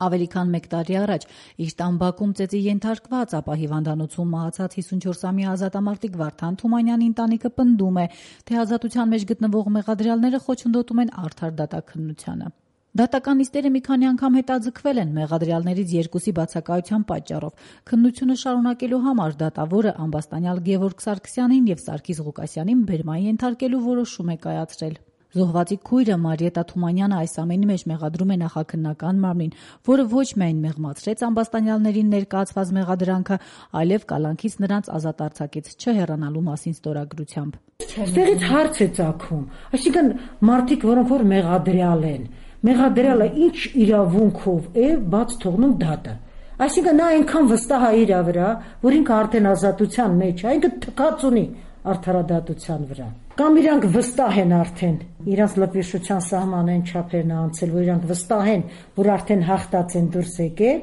Ավելի քան 1 տարի առաջ իր տան բակում ծեծի ենթարկված, ապա հիվանդանոցում մահացած 54-ամյա ազատամարտիկ Վարդան Թումանյանի ընտանիքը պնդում է, թե ազատության մեջ գտնվող մեղադրյալները խոչընդոտում են արդար դատաքննությանը։ Դատական նիստերը մի քանի անգամ հետաձգվել են մեղադրյալներից 2-ի բացակայության պատճառով։ Քննությունը շարունակելու համար դատավորը ամբաստանյալ Գևորգ Սարգսյանին եւ Սարգիս Ղուկասյանին բերման ենթարկելու որոշում է կայացրել։ Զոհվածի քույրը Մարիետա Թումանյանը այս ամենի մեջ մեղադրում է նախաքննական մարմնին, որը ոչ միայն մեղմացրեց ամբաստանյալներին ներկայացված մեղադրանքը, այլև կալանքից նրանց ազատ արձակեց չհեռանալու մասին ստորագրությամբ։ Այստեղից հարց է ծագում, այսինքն մարդիկ, որոնք որ մեղադրյալ են, մեղադրյալը ինչ իրավունքով է բաց թողնում դատը։ Այսինքն նա այնքան վստահ է իր վրա, որ ինքը արդեն ազատության մեջ է, ինքը թքած ունի արդարադատության վրա։ Կամ իրանք վստահ են արդեն, իրանք լպվիշության սահմանեն չափերն անցել, որ իրանք վստահ են, որ արդեն հաղթած են դուրս եկել,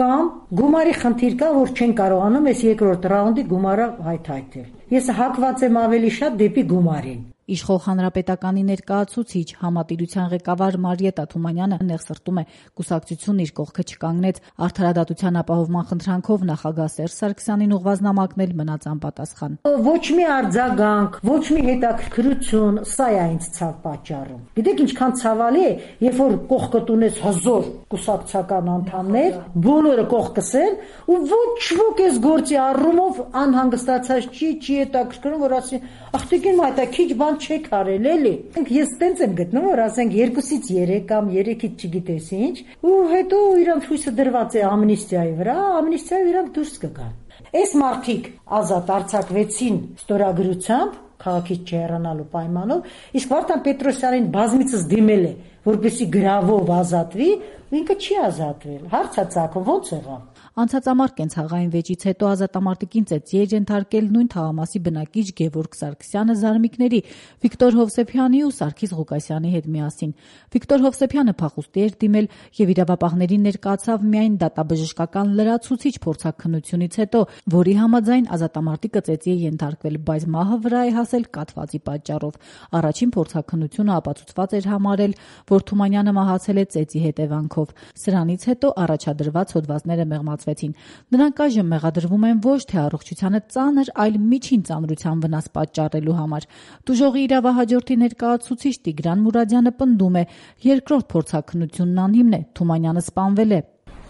կամ գումարի խնդիր կա, որ չեն կարողանում այս երկրորդ ռաունդի գումարը հայթայթել։ Ես հակված եմ ավելի շատ դեպի գումարին։ Իշխող հանրապետականի ներկայացուցիչ համատիրության ղեկավար Մարիետա Թումանյանը նեղսրտում է, կուսակցությունն իր կողքը չկանգնեց, արդարադատության ապահովման խնդրանքով նախագահ Սերժ Սարգսյանին ուղղված նամակն էլ մնաց անպատասխան։ Ոչ մի արձագանք, ոչ մի հետաքրքրություն, սա է ինձ ցավ պատճառում։ Գիտեք ինչքան ցավալի է, երբ որ կողքդ ունես հզոր կուսակցական անդամներ, բոլորը կողքս են, ու ոչ ոք էս գործի առումով անհանգստացած չի հետաքրքրում, որ ասի, ախտիկին մայտա քիչ բան չեք արել էլի։ Ես տենց եմ գտնում, որ ասենք 2-ից 3 կամ 3-ից չգիտես ինչ, ու հետո իրանք հույսը դրված է ամնիստիայի վրա, ամնիստիայով իրանք դուրս կգան։ Այս մարդիկ ազատ արձակվեցին ստորագրությամբ, քաղաքից չհեռանալու պայմանով, իսկ Վարդան Պետրոսյանին բազմիցս դիմել է, որպեսզի գրավով ազատվի, ինքը չի ազատվել։ Հարց է ծագում, ո՞նց եղավ։ Անցած ամառ կենցաղային վեճից հետո ազատամարտիկին ծեծի էր ենթարկել նույն թաղամասի բնակիչ Գևորգ Սարգսյանը զարմիկների Վիկտոր Հովսեփյանի ու Սարգիս Ղուկասյանի հետ միասին։ Վիկտոր Հովսեփյանը փախուստի էր դիմել եւ իրավապահներին ներկայացավ միայն դատաբժշկական լրացուցիչ փորձաքննությունից հետո, որի համաձայն ազատամարտիկը ծեծի է ենթարկվել, բայց մահը վրա է հասել կաթվածի պատճառով։ Առաջին փորձաքննությունը ապացուցված էր համարել, որ Թումանյանը մահացել է ծեծի հետևանքով։ Սրանից հետո առաջադրված հոդվածները մեղմացվեցին։ Նրանք այժմ մեղադրվում են ոչ թե առողջությանը ծանր, այլ միջին ծանրության վնաս պատճառելու համար։ Տուժողի իրավահաջորդի ներկայացուցիչ Տիգրան Մուրադյանը պնդում է, երկրորդ փորձաքննությունն անհիմն է, Թումանյանը սպանվել է։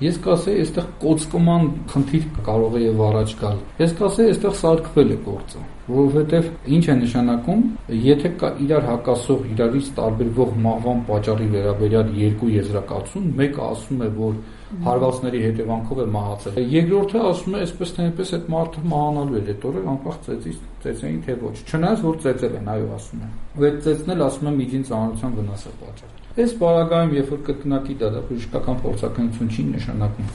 Ես կասեի, այստեղ կոծկման խնդիր կարող է եւ առաջ գալ։ Ես կասեի, այստեղ սարքվել է գործը, որովհետեւ ինչ է նշանակում, եթե կա իրար հակասող, իրարից տարբերվող մահվան պատճառի վերաբերյալ երկու եզրակացություն, մեկը ասում է, որ հարվածների հետևանքով է մահացել։ Երկրորդը ասում է, այսպես թե այնպես այդ մարդը մահանալու է հետո, անկախ ծեծեին թե ոչ։ Չնայած որ ծեծել են, այո, ասում են։ Ու այդ ծեծն էլ ասում է միջին ծանրության վնաս է պատճառել։ Այս բարակայում, երբ որ կրկնակի դատաբժշկական փորձաքննություն չի նշանակում,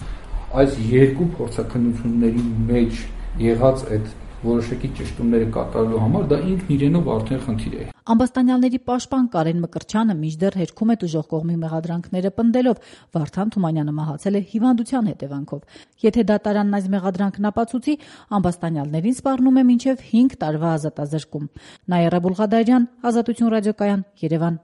այս երկու փորձաքննությունների մեջ եղած այդ որոշակի ճշտումները կատարելու համար դա ինքն իրենով արդեն խնդիր է։ Ամբաստանյալների պաշտպան Կարեն Մկրտչյանը մինչդեռ հերքում է տուժող կողմի մեղադրանքները պնդելով, Վարդան Թումանյանը մահացել է հիվանդության հետևանքով։ Եթե դատարանն այս մեղադրանքն ապացուցի, ամբաստանյալներին սպառնում է մինչև 5 տարվա ազատազրկում։ Նաիրա Բուլղադարյան, Ազատություն ռադիոկայան, Երևան։